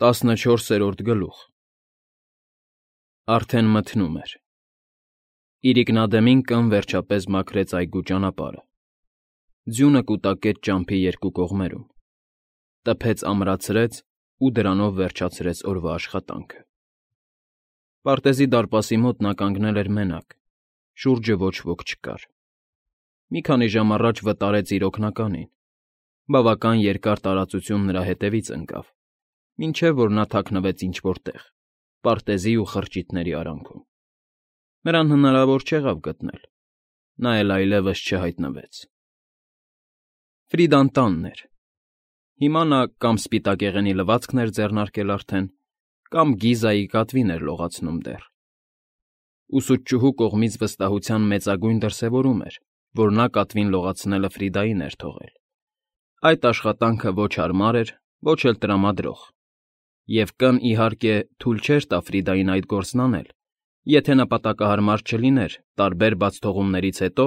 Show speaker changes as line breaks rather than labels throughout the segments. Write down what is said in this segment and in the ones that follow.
14-րդ գլուխ Արդեն մթնում էր։ Իրիկնադեմին կն վերջապես մաքրեց այգու ճանապարհը։ Ձյունը կուտակեց ճամփի երկու կողմերում, տփեց ամրացրեց ու դրանով վերջացրեց օրվա աշխատանքը։ Պարտեզի դարպասի մոտ նա կանգնել էր մենակ, շուրջը ոչ ոք չկար։ Մի քանի ժամ առաջ վտարեց իր օգնականին, բավական երկար տարածություն նրա հետևից ընկավ, մինչև որ նա թաքնվեց ինչ֊որ տեղ, պարտեզի ու խրճիթների արանքում։ Նրան հնարավոր չեղավ գտնել, նա էլ այլևս չհայտնվեց։ Ֆրիդան տանն էր։ Հիմա նա կամ սպիտակեղենի լվացքն էր ձեռնարկել արդեն, կամ Գիզայի կատվին էր լողացնում դեռ։ Ուսուցչուհու կողմից վստահության մեծագույն դրսևորում էր, որ նա կատվին լողացնելը Ֆրիդային էր թողել։ Այդ աշխատանքը ոչ հարմար էր, ոչ էլ տրամադրող, և կն, իհարկե, թույլ չէր տա Ֆրիդային այդ գործն անել, եթե նպատակահարմար չլիներ տարբեր բացթողումներից հետո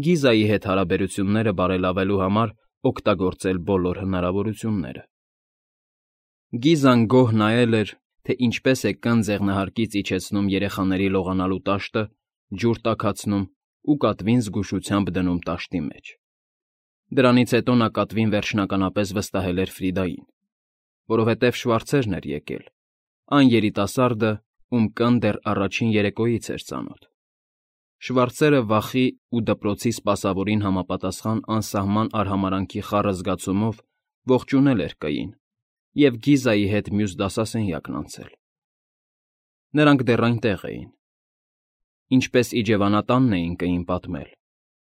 Գիզայի հետ հարաբերությունները բարելավելու համար օգտագործել բոլոր հնարավորությունները։ Գիզան գոհ նայել էր, թե ինչպես է կն ձեղնահարկից իջեցնում երեխաների լողանալու տաշտը, ջուր տաքացնում ու կատվին զգուշությամբ դնում տաշտի մեջ։ Դրանից հետո նա կատվին վերջնականապես վստահել էր Ֆրիդային, որովհետև Շվարցերն էր եկել, այն երիտասարդը, ում կն դեռ առաջին երեկոյից էր ծանոթ։ Շվարցերը վախի ու դպրոցի սպասավորին համապատասխան անսահման արհամարհանքի խառը զգացումով ողջունել էր կային և Գիզայի հետ մյուս դասասենյակն անցել։ Նրանք դեռ այնտեղ էին։ Ինչպես իջևանատանն էին կային պատմել,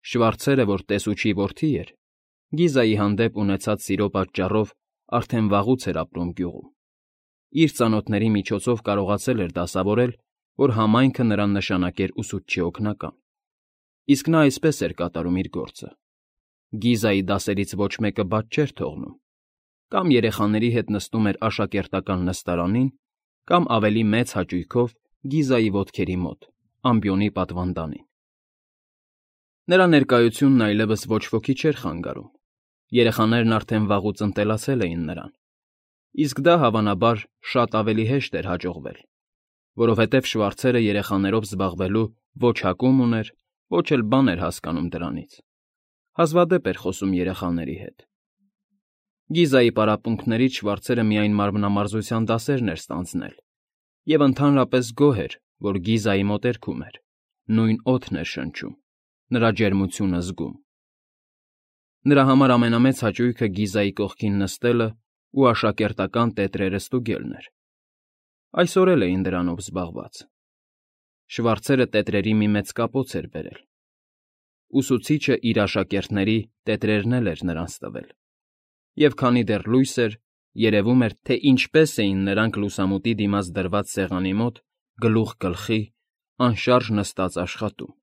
Շվարցերը, որ տեսուչի որդի էր, Գիզայի հանդեպ ունեցած սիրո պատճառով արդեն վաղուց էր ապրում գյուղում։ Իր ծանոթների միջոցով կարողացել էր դասավորել, որ համայնքը նրան նշանակեր ուսուցչի օգնական։ Իսկ նա այսպես էր կատարում իր գործը։ Գիզայի դասերից ոչ մեկը բաց չէր թողնում, կամ երեխաների հետ նստում էր աշակերտական նստարանին, կամ ավելի մեծ հաճույքով Գիզայի ոտքերի մոտ, ամբիոնի պատվանդանին։ Նրա ներկայությունն այլևս ոչ ոքի չէր խանգարում, երեխաներն արդեն վաղուց ընտելացել էին նրան, իսկ դա, հավանաբար, շատ ավելի հեշտ էր հաջողվել, որովհետև Շվարցերը երեխաներով զբաղվելու ոչ հակում ուներ, ոչ էլ բան էր հասկանում դրանից, հազվադեպ էր խոսում երեխաների հետ։ Գիզայի պարապմունքներից Շվարցերը միայն մարմնամարզության դասերն էր ստանձնել և ընդհանրապես գոհ էր, որ Գիզայի մոտերքում էր, նույն օդն էր շնչում, նրա ջերմությունը զգում։ Նրա համար ամենամեծ հաճույքը Գիզայի կողքին նստելը ու աշակերտական տետրերը ստուգելն էր։ Այսօր էլ էին դրանով զբաղված։ Շվարցերը տետրերի մի մեծ կապոց էր բերել։ Ուսուցիչը իր աշակերտների տետրերն էլ էր նրանց տվել։ Եվ քանի դեռ լույս էր, երևում էր, թե ինչպես էին նրանք լուսամուտի դիմաց դրված սեղանի մոտ գլուխ գլխի, անշարժ նստած աշխատում։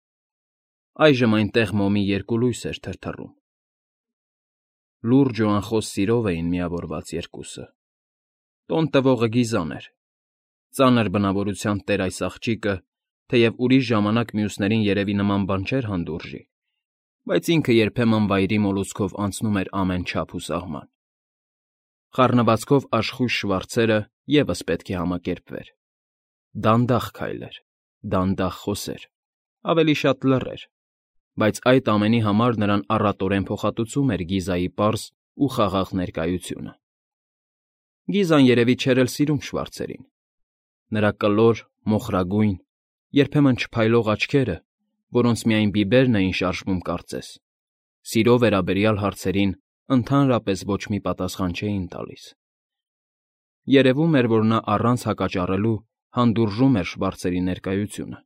Այժմ այնտեղ մոմի երկու լույս էր թրթռում։ Լուրջ ու անխոս սիրով էին միավորված երկուսը։ Տոն տվողը Գիզան էր։ Ծանր բնավորության տեր այս աղջիկը, թեև ուրիշ ժամանակ մյուսներին երևի նման բան չէր հանդուրժի, բայց ինքը երբեմն վայրի մոլուցքով անցնում էր ամեն չափ ու սահման։ Խառնվածքով աշխույժ Շվարցերը ևս պետք է համակերպվեր։ Դանդաղ քայլեր, դանդաղ խոսեր, ավելի շատ լռեր, բայց այդ ամենի համար նրան առատորեն փոխհատուցում էր Գիզայի պարզ ու խաղաղ ներկայությունը։ Գիզան երևի չէր էլ սիրում Շվարցերին։ Նրա կլոր, մոխրագույն, երբեմն չփայլող աչքերը, որոնց միայն բիբերն էին շարժվում կարծես, սիրո վերաբերյալ հարցերին ընդհանրապես ոչ մի պատասխան չէին տալիս։ Երևում էր, որ նա առանց հակաճառելու հանդուրժում էր Շվարցերի ներկայությունը,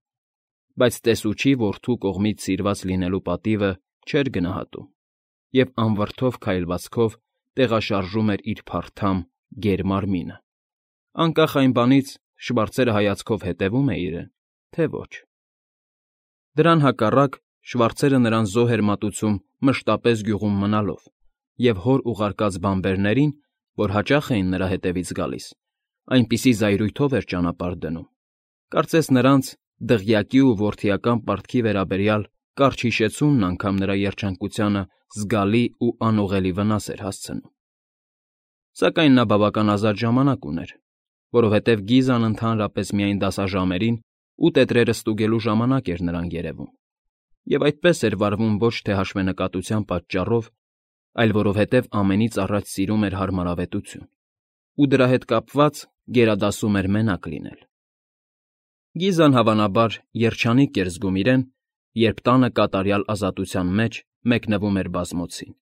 բայց տեսուչի որդու կողմից սիրված լինելու պատիվը չէր գնահատում և անվրդով քայլվածքով տեղաշարժում էր իր փարթամ, գեր մարմինը, անկախ այն բանից Շվարցերը հայացքով հետևում է իրեն, թե ոչ։ Դրան հակառակ Շվարցերը նրան զոհ էր մատուցում մշտապես գյուղում մնալով և հոր ուղարկած բանբերներին, որ հաճախ էին նրա հետևից գալիս, այնպիսի զայրույթով էր ճանապարհ դնում, կարծես նրանց դղյակի ու որդիական պարտքի վերաբերյալ կարճ հիշեցումն անգամ նրա երջանկությանը զգալի ու անուղղելի վնաս էր հասցնում։ Սակայն նա բավական ազատ ժամանակ ուներ, որովհետև Գիզան ընդհանրապես միայն դասաժամերին ու տետրերը ստուգելու ժամանակ էր նրան երևում, և այդպես էր վարվում ոչ թե հաշվենկատության պատճառով, այլ որովհետև ամենից առաջ սիրում էր հարմարավետություն, ու դրա հետ կապված գերադասում էր մենակ լինել։ Գիզան, հավանաբար, երջանիկ էր զգում իրեն, երբ տանը կատարյալ ազատության մեջ մեկնվում էր բազմոցին,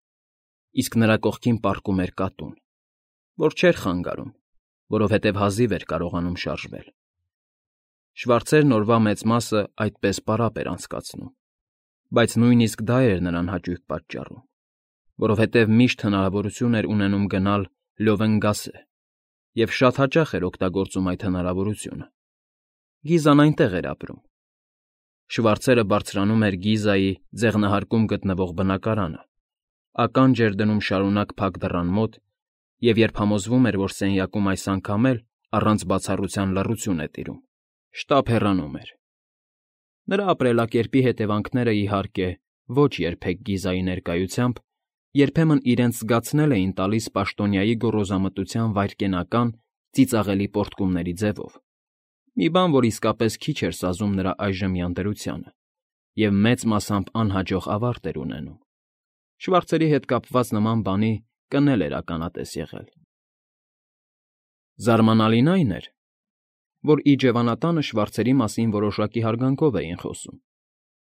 իսկ նրա կողքին պառկում էր կատուն, որ չէր խանգարում, որովհետև հազիվ էր կարողանում շարժվել։ Շվարցերն օրվա մեծ մասը այդպես պարապ էր անցկացնում, բայց նույնիսկ դա էր նրան հաճույք պատճառում, որովհետև միշտ հնարավորություն էր ունենում գնալ Լյովենգասե և շատ հաճախ էր օգտագործում այդ հնարավորությունը։ Գիզան այնտեղ էր ապրում։ Շվարցերը բարձրանում էր Գիզայի ձեղնահարկում գտնվող բնակարանը, ականջ էր դնում շարունակ փակ դռան մոտ, և երբ համոզվում էր, որ սենյակում այս անգամ էլ առանց բացառության լռություն է տիրում, շտապ հեռանում էր։ Նրա ապրելակերպի հետևանքները, իհարկե, ոչ երբեք Գիզայի ներկայությամբ, երբեմն իրենց զգացնել էին տալիս պաշտոնյայի գոռոզամտության վայրկենական, ծիծաղելի պոռթկումների ձևով, մի բան, որ իսկապես քիչ էր սազում նրա այժմյան դրությանը և մեծ մասամբ անհաջող ավարտ էր ունենում։ Շվարցերի հետ կապված նման բանի կն էր ականատես եղել։ Զարմանալին այն էր, որ իջևանատանը Շվարցերի մասին որոշակի հարգանքով էին խոսում,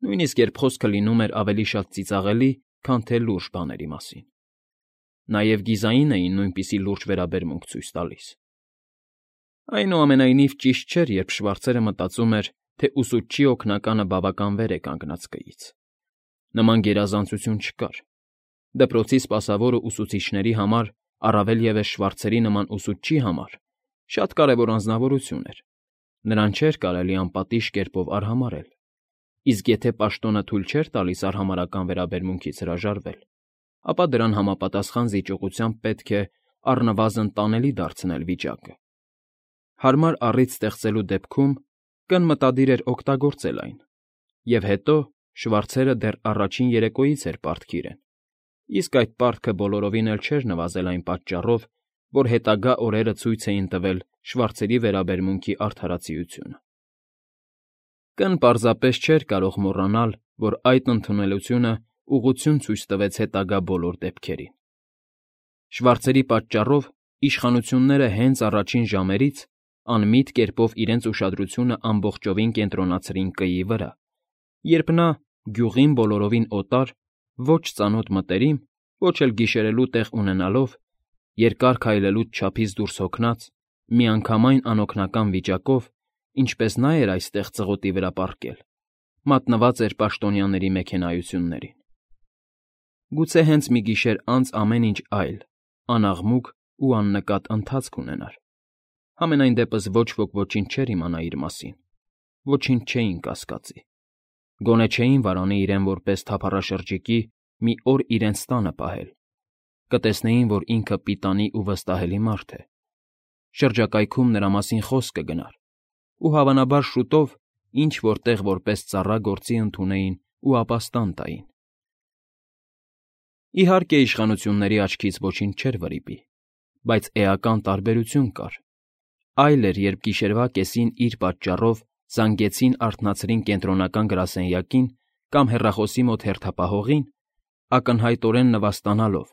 նույնիսկ երբ խոսքը լինում էր ավելի շատ ծիծաղելի, քան թե լուրջ բաների մասին։ Նաև Գիզային էին նույնպիսի լուրջ վերաբերմունք ցույց տալիս։ Այնուամենայնիվ, ճիշտ չէր, երբ Շվարցերը մտածում էր, թե ուսուցչի օգնականը բավական վեր է կանգնած կից։ Նման գերազանցություն չկար։ Դպրոցի սպասավորը ուսուցիչների համար, առավել ևս Շվարցերի նման ուսուցչի համար, շատ կարևոր անձնավորություն էր։ Նրան չէր կարելի անպատիժ կերպով արհամարհել, իսկ եթե պաշտոնը թույլ չէր տալիս արհամարհական վերաբերմունքից հրաժարվել, ապա դրան համապատասխան զիջողությամբ պետք է առնվազն տանելի դարձնել վիճակը։ Հարմար առիթ ստեղծելու դեպքում կն մտադիր էր օգտագործել այն, և հետո Շվարցերը դեռ առաջին երեկոյից էր պարտք իրեն, իսկ այդ պարտքը բոլորովին էլ չէր նվազել այն պատճառով, որ հետագա օրերը ցույց էին տվել Շվարցերի վերաբերմունքի արդարացիությունը։ Կն պարզապես չէր կարող մոռանալ, որ այդ ընդունելությունը ուղղություն ցույց տվեց հետագա բոլոր դեպքերին։ Շվարցերի պատճառով իշխանությունները հենց առաջին ժամերից անմիտ կերպով իրենց ուշադրությունը ամբողջովին կենտրոնացրին Կըի վրա, երբ նա, գյուղին բոլորովին օտար, ոչ ծանոթ մտերիմ, ոչ էլ գիշերելու տեղ ունենալով, երկար քայլելուց չափից դուրս հոգնած, միանգամայն անօգնական վիճակով, ինչպես նա էր այստեղ ծղոտի վրա պառկել, մատնված էր պաշտոնյաների մեքենայություններին։ Գուցե հենց մի գիշեր անց ամեն ինչ այլ, անաղմուկ ու աննկատ ընթացք ունենար։ Համենայն դեպս ոչ ոք ոչինչ չէր իմանա իր մասին, ոչինչ չէին կասկածի, գոնե չէին վարանի իրեն որպես թափառաշրջիկի մի օր իրենց տանը պահել, կտեսնեին, որ ինքը պիտանի ու վստահելի մարդ է, շրջակայքում նրա մասին խոսք կգնար, ու հավանաբար շուտով ինչ֊որ տեղ որպես ծառա գործի ընդունեին ու ապաստան տային։ Իհարկե, իշխանությունների աչքից ոչինչ չէր վրիպի, բայց էական տարբերություն կար։ Այլ էր, երբ գիշերվա կեսին իր պատճառով զանգեցին արթնացրին կենտրոնական գրասենյակին կամ հեռախոսի մոտ հերթապահողին, ակնհայտորեն նվաստանալով,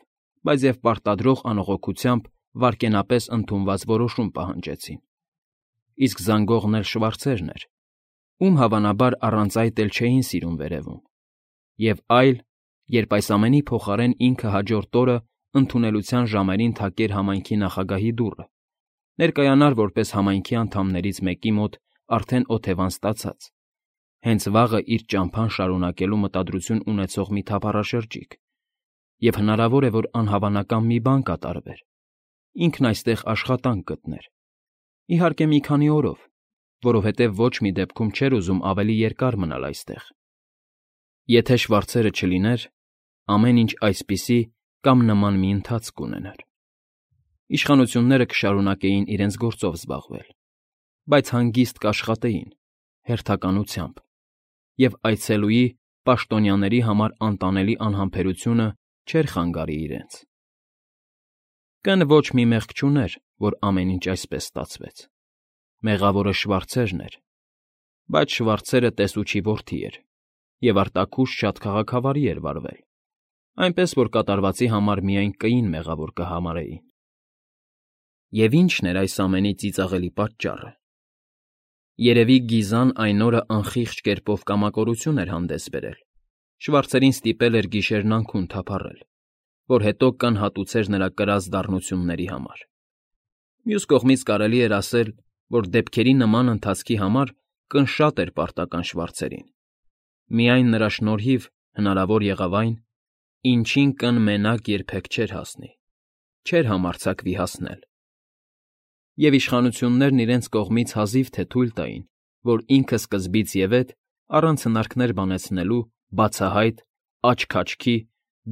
բայց և պարտադրող անողոքությամբ վայրկենապես ընդունված որոշում պահանջեցին։ Իսկ զանգողն էլ Շվարցերն էր, ում հավանաբար առանց այդ էլ չէին սիրում վերևում, և այլ, երբ այս ամենի փոխարեն ինքը հաջորդ օրը ընդունելության ժամերին թակեր համայնքի նախագահի դուռը, ներկայանար որպես համայնքի անդամներից մեկի մոտ արդեն օթևան ստացած, հենց վաղը իր ճամփան շարունակելու մտադրություն ունեցող մի թափառաշրջիկ, և հնարավոր է, որ անհավանական մի բան կատարվեր, ինքն այստեղ աշխատանք գտներ, իհարկե մի քանի օրով, որովհետև ոչ մի դեպքում չէր ուզում ավելի երկար մնալ այստեղ։ Եթե Շվարցերը չլիներ, ամեն ինչ այսպիսի կամ նման մի ընթացք կունենար։ Իշխանությունները կշարունակեին իրենց գործով զբաղվել, բայց հանգիստ կաշխատեին, հերթականությամբ, և այցելուի պաշտոնյաների համար անտանելի անհամբերությունը չէր խանգարի իրենց։ Կն ոչ մի մեղք չուներ, որ ամեն ինչ այսպես ստացվեց։ Մեղավորը Շվարցերն էր, բայց Շվարցերը տեսուչի որդի էր և արտաքուստ շատ քաղաքավարի էր վարվել, այնպես որ կատարվածի համար միայն կին մեղավոր կհամարեին։ Եվ ի՞նչն էր այս ամենի ծիծաղելի պատճառը։ Երևի Գիզան այն օրը անխիղճ կերպով կամակորություն էր հանդես բերել, Շվարցերին ստիպել էր գիշերն անքուն թափառել, որ հետո կանհատուցեր նրա կրած դառնությունների համար։ Մյուս կողմից կարելի էր ասել, որ դեպքերի նման ընթացքի համար կնշատ էր պարտական Շվարցերին։ Միայն նրա շնորհիվ հնարավոր եղավ այն, ինչին կն մենակ երբեք չէր հասնի, չէր համարձակվի հասնել։ Եվ իշխանություններն իրենց կողմից հազիվ թե թույլ տային, որ ինքը սկզբից և էդ, առանց հնարքներ բանեցնելու, բացահայտ, աչք-աչքի,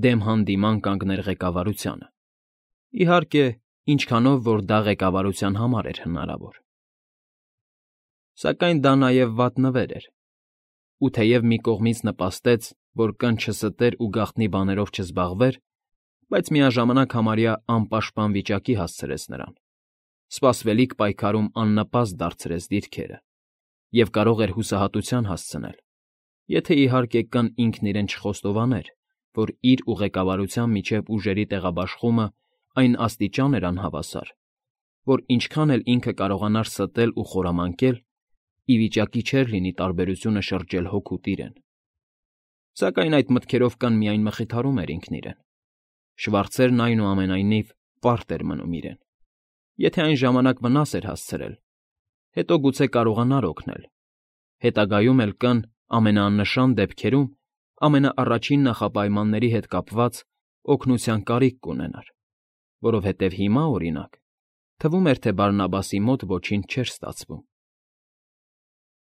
դեմ հանդիման կանգներ ղեկավարությանը։ Իհարկե, ինչքանով որ դա ղեկավարության համար էր հնարավոր։ Սակայն դա նաև վատ նվեր էր, ու թեև մի կողմից նպաստեց, որ կն չստեր ու գաղտնի բաներով չզբաղվեր, բայց միաժամանակ համարյա անպաշտպան վիճակի հասցրեց նրան, սպասվելիք պայքարում աննպաստ դարձրեց դիրքերը և կարող էր հուսահատության հասցնել, եթե իհարկե կն ինքն իրեն չխոստովաներ, որ իր ու ղեկավարության միջև ուժերի տեղաբաշխումը այն աստիճան էր անհավասար, որ ինչքան էլ ինքը կարողանար ստել ու խորամանկել, ի վիճակի չէր լինի տարբերությունը շրջել հօգուտ իրեն։ Սակայն այդ մտքերով կան միայն մխիթարում էր ինքն իրեն։ Շվարցերն այնուամենայնիվ պարտ էր մնում իրեն։ Եթե այն ժամանակ վնաս էր հասցրել, հետո գուցե կարողանար օգնել։ Հետագայում էլ կան ամենաաննշան դեպքերում ամենաառաջին նախապայմանների հետ կապված օգնության կարիք կունենար, որովհետև հիմա, օրինակ, թվում էր, թե Բարնաբասի մոտ ոչինչ չէր ստացվում։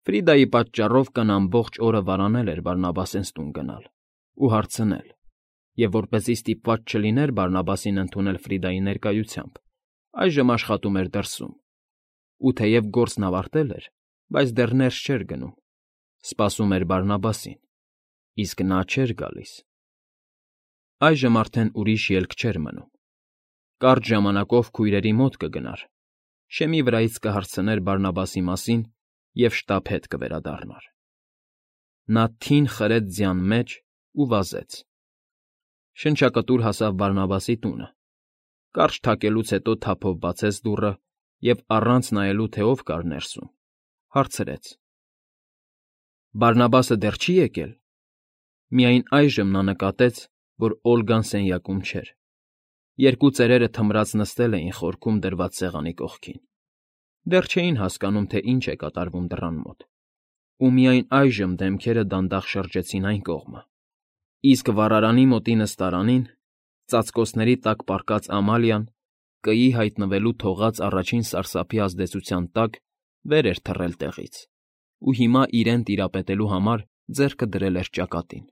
Ֆրիդայի պատճառով կն ամբողջ օրը վարանել էր Բարնաբասենց տուն գնալ ու հարցնել, և որպեսզի ստիպված չլիներ Բարնաբասին ընդունել Ֆրիդայի ներկայությամբ, այժմ աշխատում էր դրսում, ու թեև գործն ավարտել էր, բայց դեռ ներս չէր գնում, սպասում էր Բարնաբասին, իսկ նա չէր գալիս։ Այժմ արդեն ուրիշ ելք չէր մնում։ Կարճ ժամանակով քույրերի մոտ կգնար, շեմի վրայից կհարցներ Բարնաբասի մասին և շտապ հետ կվերադառնար։ Նա թին խրեց ձյան մեջ ու վազեց։ Շնչակտուր հասավ Բարնաբասի տունը, կարճ թակելուց հետո թափով բացեց դուռը և առանց նայելու, թե ով կար ներսում, հարցրեց. Բարնաբասը դեռ չի եկել։ Միայն այժմ նա նկատեց, որ Օլգան սենյակում չէր։ Երկու ծերերը թմրած նստել էին խորքում դրված սեղանի կողքին։ Դեռ չէին հասկանում, թե ինչ է կատարվում դռան մոտ, ու միայն այժմ դեմքերը դանդաղ շրջեցին այն կողմը, իսկ վառարանի մոտի նստարանին, ծածկոցների տակ պառկած Ամալիան, կգի հայտնվելու թողած առաջին սարսափի ազդեցության տակ վեր էր թռել տեղից ու հիմա իրեն տիրապետելու համար ձեռքը դրել էր ճակատին։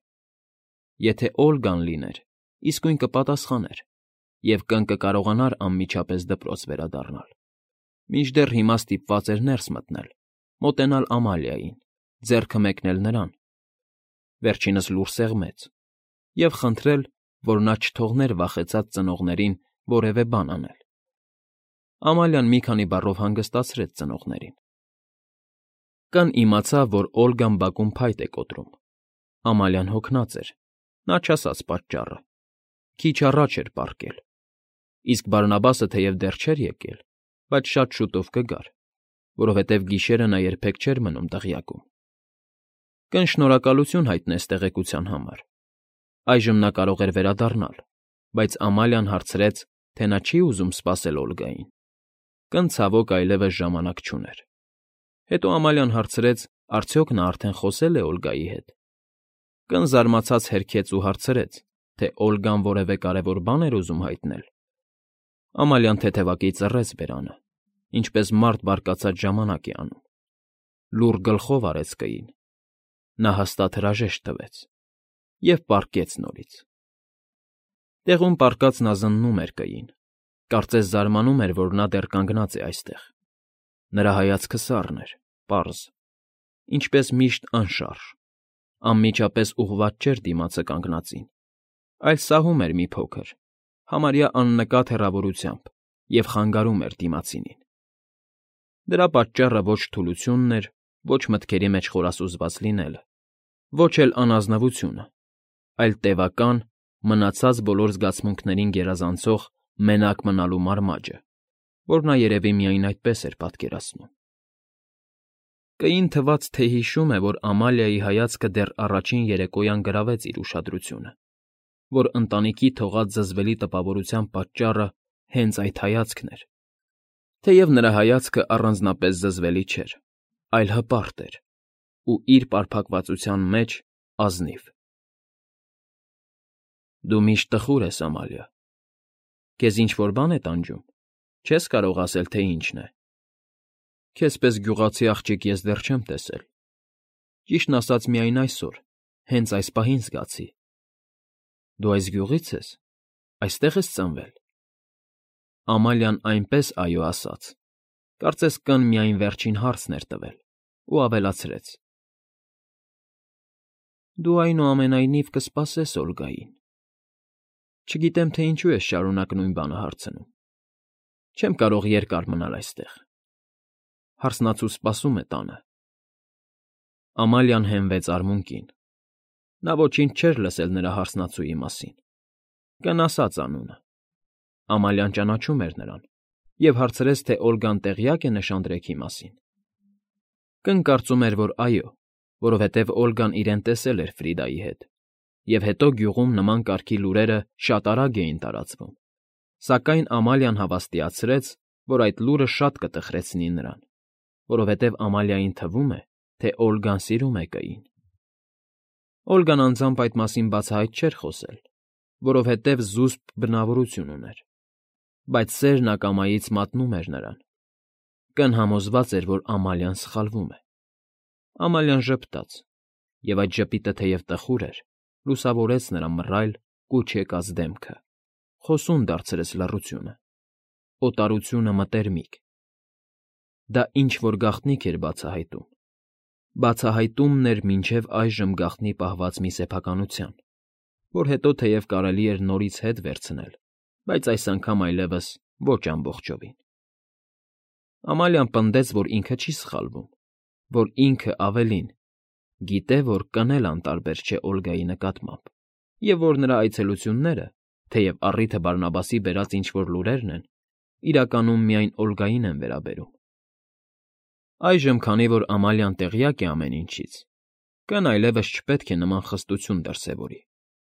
Եթե Օլգան լիներ, իսկույն կպատասխաներ և կկարողանար անմիջապես դպրոց վերադառնալ, մինչդեռ հիմա ստիպված էր ներս մտնել, մոտենալ Ամալիային, ձեռքը մեկնել նրան, վերջինս լուռ սեղմեց, և խնդրել, որ նա չթողներ վախեցած ծնողներին որևէ բան անել։ Ամալիան մի քանի բառով հանգստացրեց ծնողներին։ Կն իմացավ, որ Օլգան բակում փայտ է կոտրում։ Ամալիան հոգնած էր, նա չասաց պատճառը, քիչ առաջ էր պառկել, իսկ Բարնաբասը թեև դեռ չէր եկել, բայց շատ շուտով կգար, որովհետև գիշերը նա երբեք չէր մնում դղյակում։ Կն շնորհակալություն հայտնեց տեղեկության համար։ Այժմ նա կարող էր վերադառնալ, բայց Ամալիան հարցրեց, թե նա չի ուզում սպասել Օլգային։ Կն ցավոք այլևս ժամանակ չուներ։ Հետո Ամալիան հարցրեց, արդյոք նա արդեն խոսել է Օլգայի հետ։ Կն զարմացած հերքեց ու հարցրեց, թե Օլգան որևէ կարևոր բան էր ուզում հայտնել։ Ամալիան թեթևակի ծռեց բերանը, ինչպես մարդ բարկացած ժամանակ է անում։ Լուռ գլխով արեց կին։ Նա հաստատ հրաժեշտ տվեց և պառկեց նորից։ Տեղում պառկած նա զննում էր կային, կարծես զարմանում էր, որ նա դեռ կանգնած է այստեղ։ Նրա հայացքը սառն էր, պարզ, ինչպես միշտ անշարժ, անմիջապես ուղղված չէր դիմացը կանգնածին, այլ սահում էր մի փոքր, համարյա աննկատ հեռավորությամբ և խանգարում էր դիմացինին։ Դրա պատճառը ոչ թուլությունն էր, ոչ մտքերի մեջ խորասուզված լինելը, ոչ էլ անազնվությունը, այլ տևական, մնացած բոլոր զգացմունքներին գերազանցող մենակ մնալու մարմաճը, որ նա երևի միայն այդպես էր պատկերացնում։ Կային թվաց, թե հիշում է, որ Ամալիայի հայացքը դեռ առաջին երեկոյան գրավեց իր ուշադրությունը, որ ընտանիքի թողած զզվելի տպավորության պատճառը հենց այդ հայացքն էր, թեև նրա հայացքը առանձնապես զզվելի չէր, այլ հպարտ էր ու իր պարփակվածության մեջ ազնիվ։ Դու միշտ տխուր ես, Ամալիա, քեզ ինչ-որ բան է տանջում, չես կարող ասել, թե ինչն է։ Քեզպես գյուղացի աղջիկ ես դեռ չեմ տեսել, ճիշտն ասած միայն այսօր, հենց այս պահին զգացի։ Դու այս գյուղի՞ց ես, այստեղ ես ծնվել։ Ամալիան այնպես այո ասաց, կարծես կն միայն վերջին հարցն էր տվել, ու ավելացրեց. Դու այնուամենայնիվ կսպասես Օլգային։ Չգիտեմ, թե ինչու ես շարունակ նույն բանը հարցնում։ Չեմ կարող երկար մնալ այստեղ։ Հարսնացու սպասում է տանը։ Ամալիան հենվեց արմունկին։ Նա ոչինչ չէր լսել նրա հարսնացուի մասին։ Կն ասաց անունը։ Ամալիան ճանաչում էր նրան և հարցրեց, թե Օլգան տեղյակ է նշանдрեքի մասին։ Կն կարծում էր, որ այո, որովհետև Օլգան իրեն տեսել էր Ֆրիդայի հետ, և հետո գյուղում նման կարգի լուրերը շատ արագ էին տարածվում, սակայն Ամալիան հավաստիացրեց, որ այդ լուրը շատ կտխրեցնի նրան, որովհետև Ամալիային թվում է, թե Օլգան սիրում է կային։ Օլգան անձամբ այդ մասին բացահայտ չէր խոսել, որովհետև զուսպ բնավորություն ուներ, բայց սերն ակամայից մատնում էր նրան։ Կն համոզված էր, որ Ամալիան սխալվում է։ Ամալիան ժպտաց, և այդ ժպիտը թեև տխուր էր, լուսավորեց նրա մռայլ, կուչ եկած դեմքը, խոսուն դարձրեց լռությունը, օտարությունը մտերմիկ։ Դա ինչ֊որ գաղտնիք էր բացահայտում։ Բացահայտումն էր մինչև այժմ գաղտնի պահված մի սեփականության, որ հետո թեև կարելի էր նորից հետ վերցնել, բայց այս անգամ այլևս ոչ ամբողջովին։ Ամալիան պնդեց, որ ինքը չի սխալվում, որ ինքը ավելին, գիտե, որ կն էլ անտարբեր չէ Օլգայի նկատմամբ, և որ նրա այցելությունները, թեև առիթը Բարնաբասի բերած ինչ֊որ լուրերն են, իրականում միայն Օլգային են վերաբերում։ Այժմ, քանի որ Ամալիան տեղյակ է ամեն ինչից, կն այլևս չպետք է նման խստություն դրսևորի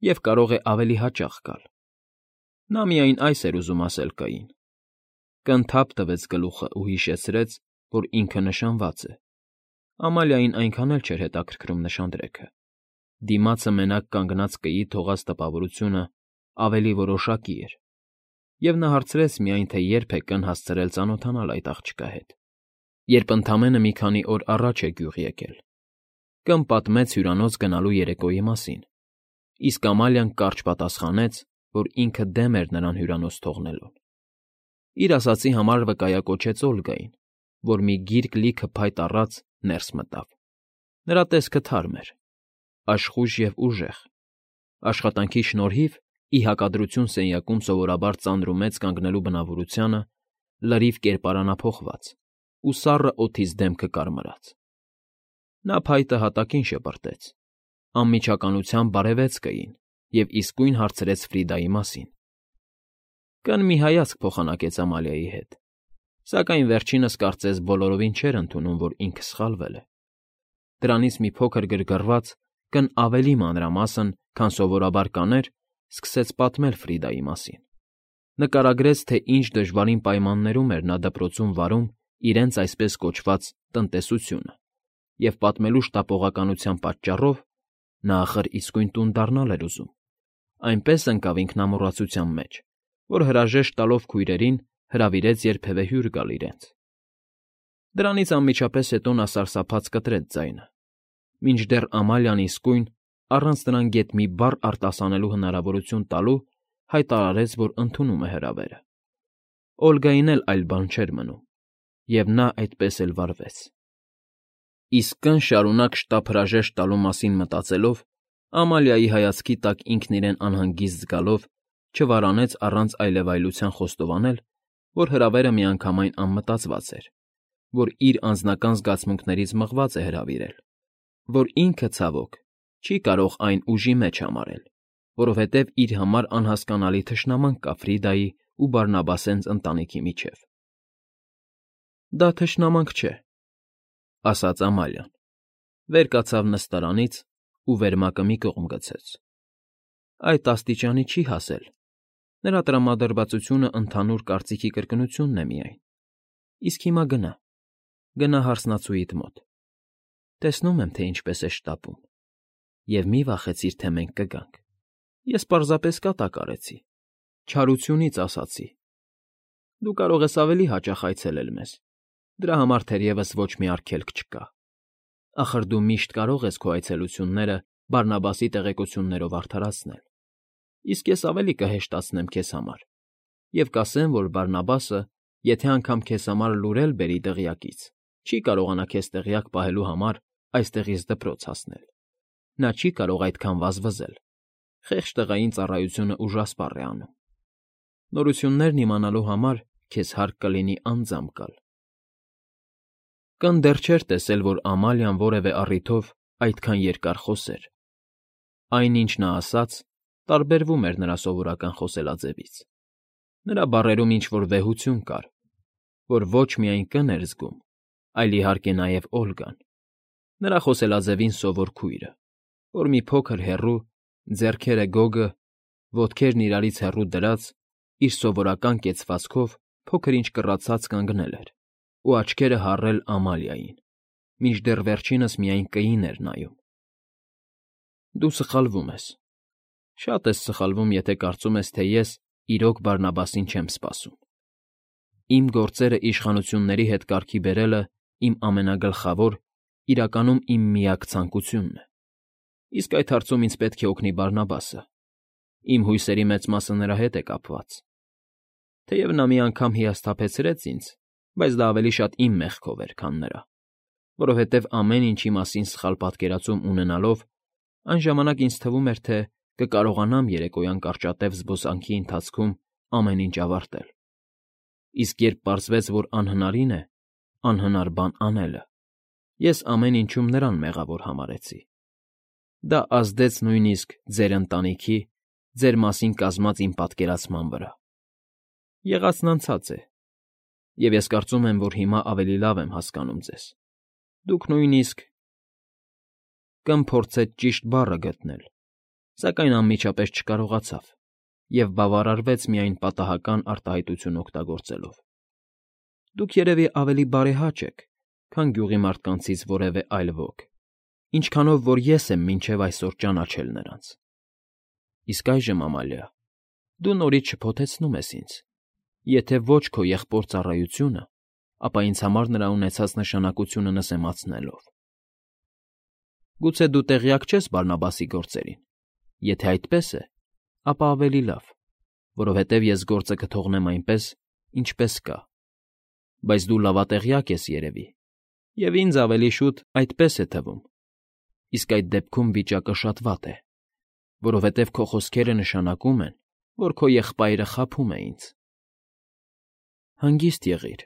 և կարող է ավելի հաճախ գալ։ Նա միայն այս էր ուզում ասել կային։ Կն թափ տվեց գլուխը ու հիշեցրեց, որ ինքը նշանված է։ Ամալիային այնքան էլ չէր հետաքրքրում նշանдрեքը։ Դիմացը մենակ կանգնած կեի թողած տպավորությունը ավելի որոշակի էր, և նա հարցրեց միայն, թե երբ է կն հասցրել ծանոթանալ այդ աղջկա հետ, երբ ընդամենը մի քանի օր առաջ է գյուղ եկել։ Կն պատմեց հյուրանոց գնալու երեկոյի մասին, իսկ Ամալիան կարճ պատասխանեց, որ ինքը դեմ էր նրան հյուրանոց թողնելուն։ Իր ասածի համար վկայակոչեց Օլգային, որ մի գիրք լիքը փայտ առած ներս մտավ։ Նրա տեսքը թարմ էր, աշխույժ և ուժեղ։ Աշխատանքի շնորհիվ, ի հակադրություն սենյակում սովորաբար ծանր ու մեծ կանգնելու բնավորությանը, լրիվ կերպարանափոխված ու սառը օդից դեմքը կարմրած։ Նա փայտը հատակին շպրտեց, անմիջականությամբ բարևեց կային և իսկույն հարցրեց Ֆրիդայի մասին։ Կն մի հայացք փոխանակեց Ամալիայի հետ, սակայն վերջինս կարծես բոլորովին չէր ընդունում, որ ինքը սխալվել է։ Դրանից մի փոքր գրգռված, կն ավելի մանրամասն, քան սովորաբար կաներ, սկսեց պատմել Ֆրիդայի մասին։ Նկարագրեց, թե ինչ դժվարին պայմաններում էր նա դպրոցում վարում իրենց այսպես կոչված տնտեսությունը, և պատմելու շտապողականության պատճառով (նա ախր իսկույն տուն դառնալ էր ուզում) այնպես ընկավ ինքնամոռացության մեջ, որ հրաժեշտ տալով քույրերին հրավիրեց երբևէ հյուր գալ իրենց։ Դրանից անմիջապես հետո նա սարսափած կտրեց ձայնը, մինչդեռ Ամալիան իսկույն, առանց նրան գեթ մի բառ արտասանելու հնարավորություն տալու, հայտարարեց, որ ընդունում է հրավերը։ Օլգային էլ այլ բան չէր մնում, և նա այդպես էլ վարվեց։ Իսկ կն շարունակ շտապ հրաժեշտ տալու մասին մտածելով, Ամալիայի հայացքի տակ ինքն իրեն անհանգիստ զգալով, չվարանեց առանց այլևայլության խոստովանել, որ հրավերը միանգամայն անմտածված էր, որ իր անձնական զգացմունքներից մղված է հրավիրել, որ ինքը, ցավոք, չի կարող այն ուժի մեջ համարել, որովհետև իր համար անհասկանալի թշնամանք կա Ֆրիդայի ու Բարնաբասենց ընտանիքի միջև։ Դա թշնամանք չէ, ասաց Ամալիան, վեր կացավ նստարանից ու վերմակը մի կողմ գցեց։ Այդ աստիճանի չի հասել, նրա տրամադրվածությունը ընդհանուր կարծիքի կրկնությունն է միայն։ Իսկ հիմա գնա հարսնացուիդ մոտ, տեսնում եմ, թե ինչպես է շտապում, և մի վախեցիր, թե մենք կգանք, ես պարզապես կատակ արեցի, չարությունից ասացի։ Դու կարող ես ավելի հաճախ այցելել մեզ, դրա համար թերևս ոչ մի արգելք չկա։ Ախր դու միշտ կարող ես քո այցելությունները Բարնաբասի տեղեկություններով արդարացնել, իսկ ես ավելի կհեշտացնեմ քեզ համար և կասեմ, որ Բարնաբասը, եթե անգամ քեզ համար լուր էլ բերի դղյակից, չի կարողանա քեզ տեղյակ պահելու համար այստեղից դպրոց հասնել։ Նա չի կարող այդքան վազվզել, խեղճ տղային ծառայությունը ուժասպառ է անում։ Նորություններն իմանալու համար քեզ հարկ կլինի անձամբ գալ։ Կն դեռ չէր տեսել, որ Ամալիան որևէ առիթով այդքան երկար խոսեր։ Այն, ինչ նա ասաց, տարբերվում էր նրա սովորական խոսելաձևից։ Նրա բառերում ինչ-որ վեհություն կար, որ ոչ միայն Կ֊ն էր զգում, այլ իհարկե նաև Օլգան, նրա խոսելաձևին սովոր քույրը, որ մի փոքր հեռու, ձեռքերը գոգը, ոտքերն իրարից հեռու դրած, իր սովորական կեցվածքով փոքր-ինչ կռացած կանգնել էր ու աչքերը հառել Ամալիային, մինչդեռ վերջինս միայն Կ֊ին էր նայում։ Դու սխալվում ես, շատ ես սխալվում, եթե կարծում ես, թե ես իրոք Բարնաբասին չեմ սպասում։ Իմ գործերը իշխանությունների հետ կարգի բերելը իմ ամենագլխավոր, իրականում իմ միակ ցանկությունն է։ Իսկ այդ հարցում ինձ պետք է օգնի Բարնաբասը։ Իմ հույսերի մեծ մասը նրա հետ է կապված։ Թեև նա մի անգամ հիասթափեցրեց ինձ, բայց դա ավելի շատ իմ մեղքով էր, քան նրա, որովհետև ամեն ինչի մասին սխալ պատկերացում ունենալով, այն ժամանակ ինձ թվում էր, թե կկարողանամ երեկոյան կարճատև զբոսանքի ընթացքում ամեն ինչ ավարտել։ Իսկ երբ պարզվեց, որ անհնարին է անհնար բան անելը, ես ամեն ինչում նրան մեղավոր համարեցի։ Դա ազդեց նույնիսկ ձեր ընտանիքի, ձեր մասին կազմած իմ պատկերացման վրա։ Եղածն անցած է, և ես կարծում եմ, որ հիմա ավելի լավ եմ հասկանում ձեզ։ Դուք նույնիսկ… Կ֊ն փորձեց ճիշտ բառը գտնել, սակայն անմիջապես չկարողացավ և բավարարվեց միայն պատահական արտահայտություն օգտագործելով։ Դուք երևի ավելի բարեհաճ եք, քան գյուղի մարդկանցից որևէ այլ ոք, ինչքանով որ ես եմ մինչև այսօր ճանաչել նրանց։ Իսկ այժմ, Ամալիա, դու նորից շփոթեցնում ես ինձ, եթե ոչ քո եղբոր ծառայությունը, ապա ինձ համար նրա ունեցած նշանակությունը նսեմացնելով։ Գուցե դու տեղյակ չես Բարնաբասի գործերին։ Եթե այդպես է, ապա ավելի լավ, որովհետև ես գործը կթողնեմ այնպես, ինչպես կա։ Բայց դու լավատեղյակ ես, երևի, և ինձ ավելի շուտ այդպես է թվում։ Իսկ այդ դեպքում վիճակը շատ վատ է, որովհետև քո խոսքերը նշանակում են, որ քո եղբայրը խաբում է ինձ։ Հանգիստ եղիր,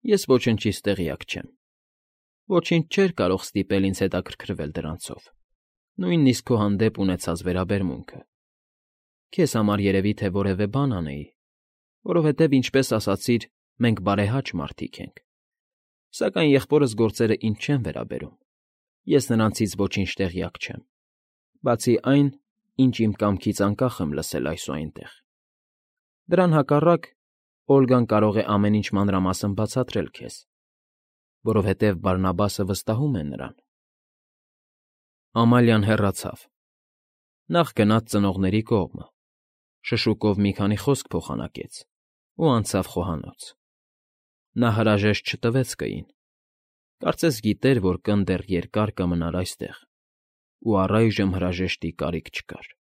ես ոչնչից տեղյակ չեմ։ Ոչինչ չէր կարող ստիպել ինձ հետաքրքրվել դրանցով, նույնիսկ քո հանդեպ ունեցած վերաբերմունքը։ Քեզ համար երևի թե որևէ բան անեի, որովհետև, ինչպես ասացիր, մենք բարեհաճ մարդիկ ենք։ Սակայն եղբորս գործերը ինձ չեն վերաբերում, ես նրանցից ոչինչ տեղյակ չեմ, բացի այն, ինչ իմ կամքից անկախ եմ լսել այս ու այնտեղ։ Դրան հակառակ, Օլգան կարող է ամեն ինչ մանրամասն բացատրել քեզ, որովհետև Բարնաբասը վստահում է նրան։ Ամալիան հեռացավ։ Նախ գնաց ծնողների կողմը, շշուկով մի քանի խոսք փոխանակեց ու անցավ խոհանոց։ Նա հրաժեշտ չտվեց Կ֊ին, կարծես գիտեր, որ Կ֊ն դեռ երկար կմնար այստեղ, ու առայժմ հրաժեշտի կարիք չկար։